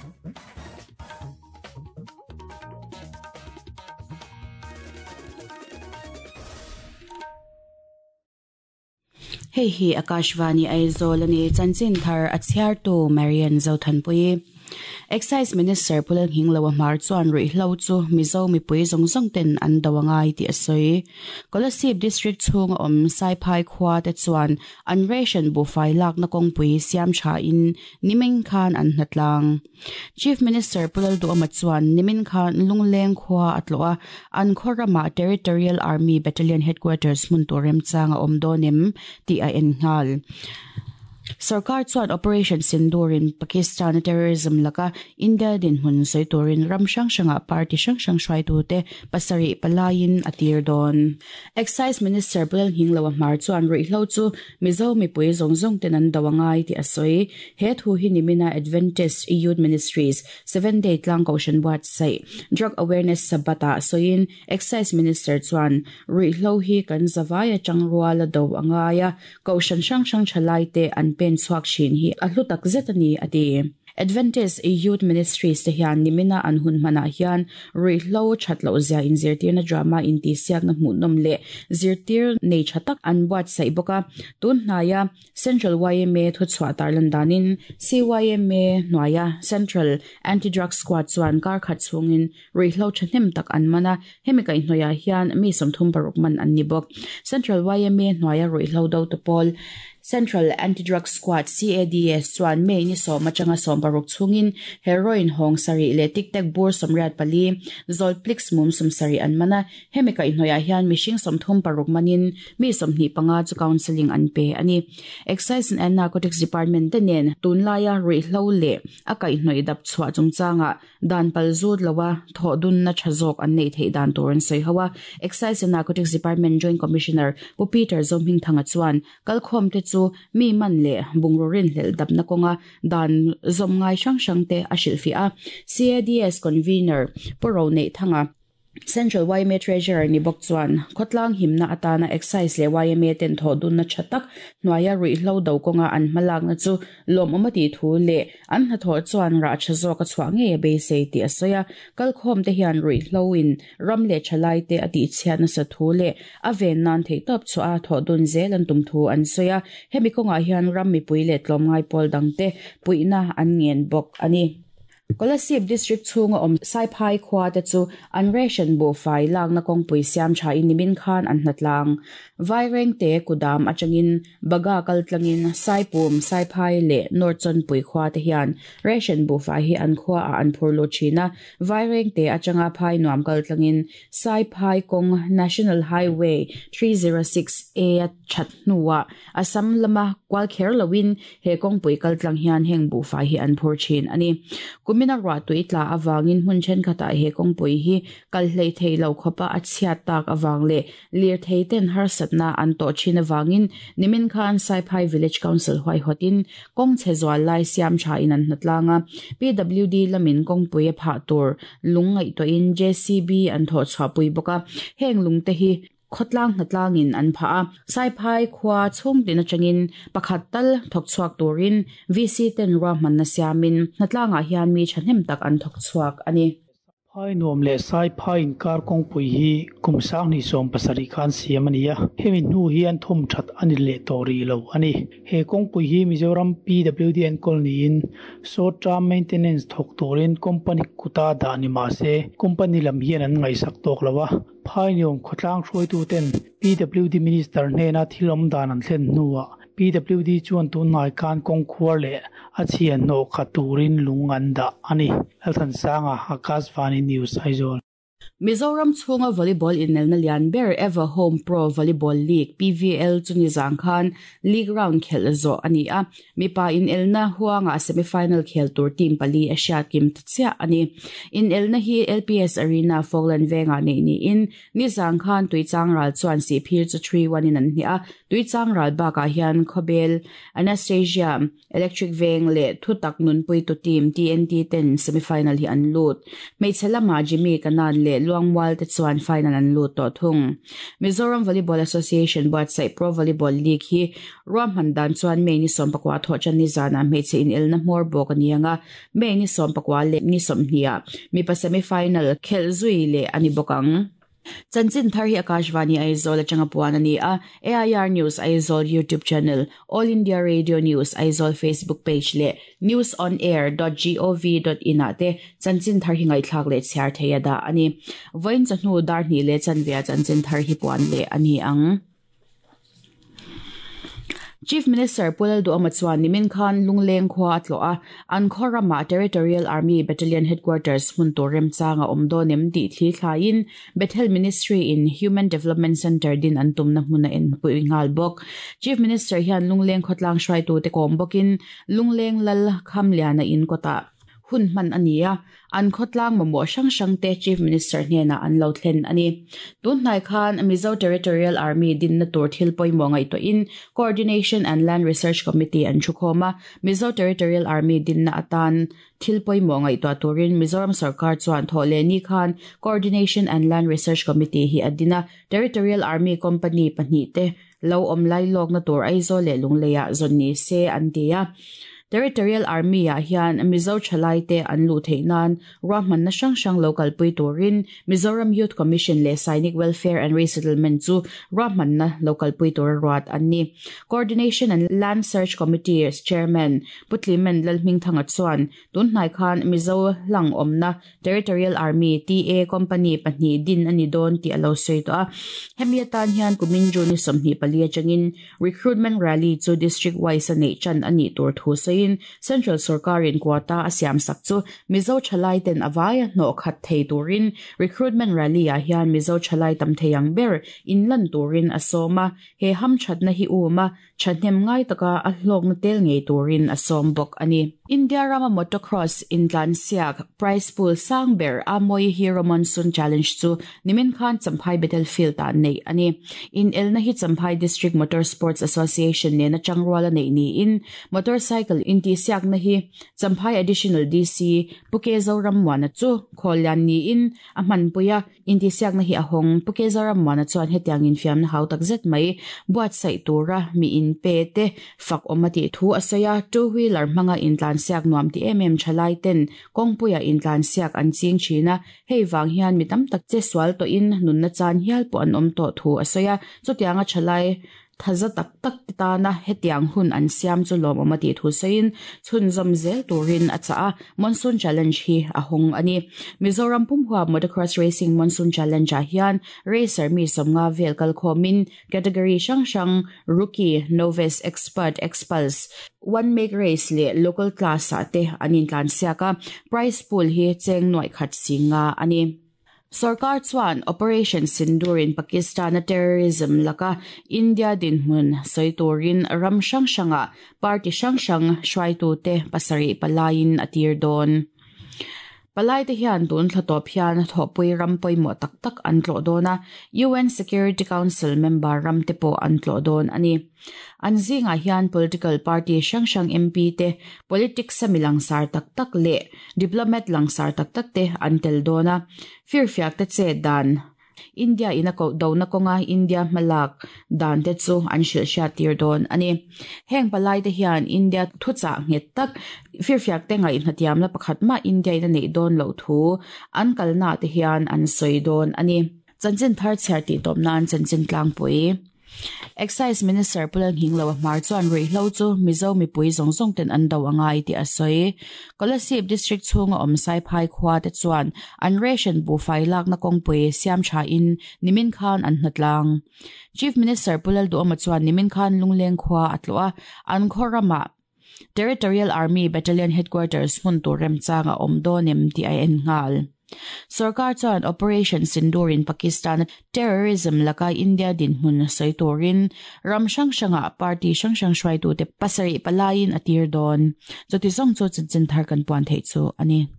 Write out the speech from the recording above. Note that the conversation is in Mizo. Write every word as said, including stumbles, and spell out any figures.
Hei hi Akashvani Aizawl ani chanchin thar a chhiartu Marian Zothanpui. Excise Minister Pulal Hinglo Hmar chuan ruihhlo chu Mizo mipui zawng zawng ten an do angai tih a sawi. Kolasib District chhunga awm Saiphai khua te chuan an ration buhfai lakna kawngpui siam tha in nimin khan an hnatlang. Chief Minister Pulal Duhoma chuan nimin khan Lungleng khua a tlawh a, an khaw ramah Territorial Army Battalion Headquarters hmun tur remchang a awm dawn em tih a en nghal. Sarkar chuan Operation Sindoor-in Pakistan terrorism laka India dinhmun sawi turin ram hrang hrangah party hrang hrang hruaitute pasarih palaiin a tir dawn. Excise Minister Pulal Hinglo Hmar chuan ruihhlo chu Mizo mipui zawng zawng ten an do angai tih a sawi. He thu hi nimina Adventist Youth Ministries Seven Day Tlang Kohhran buatsaih Drug Awareness Sabbath-ah sawiin Excise Minister chuan ruihhlo hi kan zawai atang rual a do angai a, kohhran hrang hrang thalai te an pen chhuak thin hi a hlu tak zet ani a ti. Adventist Youth Ministries te hian nimina an hun hmanah hian ruihhlo that loh zia inzirtirna drama intihsiakna hmuhnawm leh zirtir nei tha tak an buatsaih bawk a. Tun hnaia Central Y M A thuchhuah tarlan danin C Y M A hnuaia Central Anti-Drug Squad chuan kar khat chhungin ruihhlo thahnem tak an man a, hemi kaihhnawihah hian mi sawmthum paruk man an ni bawk. Central Y M A hnuaia ruihhlo do te pawl Central Anti-Drug Squad C A D S chuan May ni sawm atanga sawm paruk chhungin heroin hawng sarih leh tic tac bur sawmriat pali zolplix mum sawm sarih an man a, hemi kaihhnawihah hian mihring sawmthum paruk manin mi sawmhnih panga chu counselling an pe ani. Excise and Narcotics Department te nen tunlaia ruihhlo leh a kaihhnawih dap chhuah chungchangah dan pal zut lowa thaw dun na tha zawk an nei theih dan tur an sawi ho a. Excise and Narcotics Department Joint Commissioner Pu Peter Zomhing Thanga chuan kalkhawm te chu mi man leh bungrurin hlel dapna kawnga dan zawm ngai hrang hrang te a hrilh fiah a. C A D S Convener Pu Ro Neih Thanga Central Y M A Treasurer ni bawk chuan khawtlang himna atana Excise leh Y M A ten thaw dunna tha tak hnuaia ruihhlo do kawnga an hmalakna chu lawm awm a tih thu leh an hnathawh chuan rah tha zawk a chhuah ngei a beisei tih a sawi a. Kalkhawm te hian ruihhlo in ram leh thalai te a tih chhiat nasa thu leh a ven nan theih tawp chhuah a thaw dun zel an tum thu an sawi a. Hemi kawngah hian ram mipui leh tlawm ngai pawl dang te puihna an ngen bawk ani. Kolasib District chhunga awm Saiphai khua te chu an ration buhfai lakna kawngpui siam tha in nimin khan an hnatlang. Vaireng te kudam atangin baga kaltlangin Saipum Saiphai leh North Chawnpui khua te hian ration buhfai hi an khua a an phur lut thin a. Vaireng te atanga phai nuam kaltlangin Saiphai kawng National Highway three zero six A a that hnuah Assam lama kual kher loin he kawngpui kaltlang hian heng buhfai hi an phur thin ani. Kumina ruah tui tla awangin hmun thenkhatah he kawngpui hi kal hlei thei lo khawpa a chhiat tak awang leh lir thei ten harsatna an tawh thin awangin nimin khan Saiphai Village Council huaihawtin kawng chhe zual lai siam tha in an hnatlang a. P W D lamin kawngpui a phah tur lung ngaihtuahin J C B an thawh chhuahpui bawk a. Heng lung te hi khawtlang hnatlangin an phah a. Saiphai khua chhung tin atangin pakhat tal thawk chhuak turin V C ten ruahmanna siamin hnatlangah hian mi thahnem tak an thawk chhuak ani. Phai nuam leh Saiphai inkar kawngpui hi kum sang ni sawm pasarih khan siam ani a. Hemi hnu hian thawm that ani leh tawh rih lo ani. He kawngpui hi Mizoram P W D enkawl niin short term maintenance thawk turin company kuta dah ni mahse company lam hian an ngaihsak tawk lo a. Phai nuam khawtlang hruaitu ten P W D Minister hnena thil awm dan an thlen hnuah P W D chuan tunhnai khan kawngkhuar leh a chhian hnawh khat turin lung an dah ani. Lalthansanga Akashvani News Aizawl. Mizoram chhunga volleyball inelna lian ber Ever Home Pro Volleyball League P V L chu ni zang khan league round khel zo ani a. Mipa inelna huanga semifinal khel tur team pali a hriat kim chia ani. Inelna hi L P S Arena Falkland venga nei ni in ni zang khan tuichang ral chuan si phir chu three one in an hni a. Tuichang ral bakah hian Khawbel Anastasia Electric Veng leh Thutak Nunpui tu team T N T ten semifinal hi an lut. Hmeichhe lama Jimmy Kanan leh le Luangwal te chuan final an lut to thung. Mizoram Volleyball Association buatsaih Pro Volleyball League hi ruahman dan chuan May ni sawm pakua thaw chan ni zana hmeichhe in elna hmawr bawk ani anga May ni sawm pakua le ni sawmhnih mipa semi final khel zui le ani bawk ang. Chanchin thar hi Akashvani Aizawl atanga puan ani a A I R News Aizawl YouTube channel, All India Radio News Aizawl Facebook page le news on air dot gov dot in ate chanchin thar hi ngai thlak le chhiar theia da ani. Voin chahnu dar ni le chanvia chanchin thar hi puan le ani ang. Chief Minister Pulal Duama chuan nimin khan Lungleng khua atlo a an khorama Territorial Army Battalion Headquarters hmun turem changa omdonem ti thli thlain Bethel Ministry in Human Development Center din an tumna hmuna en pui ngal bok. Chief Minister hian Lungleng khotlang hrai tu te kom bokin Lungleng lal khamliana in kota hun man ania an khotlang mamo sang sang te Chief Minister hnena an lo thlen ani. Tun hnai khan Mizo Territorial Army din na tur thil poimo ngai to in Coordination and Land Research Committee an thukhoma Mizo Territorial Army din na atan thil poimo ngai to turin Mizoram Sarkar chuan thole ni khan Coordination and Land Research Committee hi adina Territorial Army Company pahnih te lo om lai lok na tur Aizawl le Lungleia zon ni se an tia. Territorial Army a hian Mizo Chalai te an lu theinan ruahman na sang sang local pui turin Mizoram Youth Commission le Sainik Welfare and Resettlement chu ruahman na local pui tur ruat anni. Coordination and Land Search Committee Chairman Putlimen Lalhming Thanga chuan tun hnai khan Mizo lang omna Territorial Army T A Company pahnih din ani don ti alo sei to a hemi atan hian kumin June sawmhnih pali atangin recruitment rally chu district wise nei chan ani tur thu sei Central Sarkarin quota asiam sak chu Mizo Chalai ten awaya no khat thei turin recruitment rally a hian Mizo Chalai tam theiang ber inlan turin asoma he ham thatna hi uma thathnem ngai taka a hlok na tel ngei turin asom bok ani. India rama motocross intlan siak prize pool sang ber Amoi Hero Monsoon Challenge chu nimin khan Champhai Battlefield ta nei ani. In elna hi Champhai District Motor Sports Association ne na changruala nei ni in motorcycle inti siak na hi Champhai Additional D C Puke Zoram wana chu kholyan ni in a man puya inti siak na hi ahong Puke Zoram wana chuan hetiang in fiam na hau tak zet mai buat sai tura mi in pe te fak omati thu asaya two wheeler manga in tlan siak nuam ti em em thalai ten kongpuya in tlan siak an ching thina hei wang hian mi tam tak che swal to in nun na chan hial po an om to thu asaya chutianga thalai thaza tak tak ta na hetiang hun an siam chu lom omati thu sein chhun zam zel turin acha a Monsoon Challenge hi ahong ani. Mizoram pumhua motocross racing Monsoon Challenge a hian racer mi somnga vel kal khomin category sang sang rookie, novice, expert, expulse one make race le local class ate anin tlan siaka prize pool hi cheng noi khat singa ani. Sarkar chuan Operation Sindoor in Pakistan terrorism laka India dinhmun soiturin ram sang sanga party sang sang hruaitu te pasarih palain atir dawn. Palai te hian tun thlatawp hian thawhpui ram pawimawh tak tak an tlawh dawn a U N Security Council member ram te pawh an tlawh dawn ani. An zingah hian political party hrang hrang M P te politics a mi langsar tak tak leh diplomat langsar tak tak te an tel dawn a firfiak te che dan India in a ko do na konga India malak dan te chu an hril hriat tir dawn ani. Heng palai te hian India thu cha nget tak firfiak te ngai hnatiam la pakhat ma India in a nei dawn lo thu an kalna te hian an soi dawn ani. Chanchin thar chhiar ti tawp nan chanchin tlangpui. Excise Minister Pulal Hinglo Hmar chuan ruihhlo chu Mizo mipui zawng zawng ten an do angai ti a sawi. Kolasib District chhunga awm Saiphai khua te chuan an ration buhfai lakna kawngpui siam tha in nimin khan an hnatlang. Chief Minister Pulal Duama chuan nimin khan Lungleng khua a tlawh a an khawrama Territorial Army Battalion Headquarters hmun tur remchanga awm dawnem ti a en nghal. Sarkar chuan Operation Sindoor in Pakistan terrorism laka India dinhmun soiturin ram hrang hranga party hrang hrang hruaitu te pasarih palain a tir dawn. Chuti zawng chu chanchin thar kan puan theih chu ani.